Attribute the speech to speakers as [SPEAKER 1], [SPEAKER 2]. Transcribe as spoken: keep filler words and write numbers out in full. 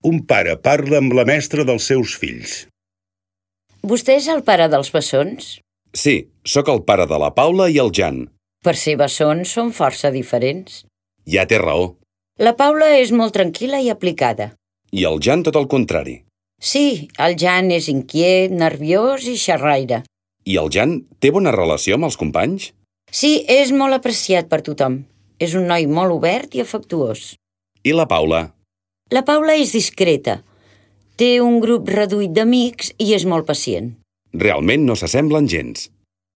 [SPEAKER 1] Un pare parla amb la mestra dels seus fills.
[SPEAKER 2] Vostè és el pare dels bessons?
[SPEAKER 3] Sí, sóc el pare de la Paula i el Jan.
[SPEAKER 2] Per ser bessons són força diferents.
[SPEAKER 3] Ja té raó.
[SPEAKER 2] La Paula és molt tranquil·la i aplicada.
[SPEAKER 3] I el Jan tot el contrari.
[SPEAKER 2] Sí, el Jan és inquiet, nerviós i xerraire.
[SPEAKER 3] I el Jan té bona relació amb els companys?
[SPEAKER 2] Sí, és molt apreciat per tothom. És un noi molt obert i afectuós.
[SPEAKER 3] I la Paula?
[SPEAKER 2] La Paula és discreta. Té un grup reduït d'amics i és molt pacient.
[SPEAKER 3] Realment no s'assemblen gens.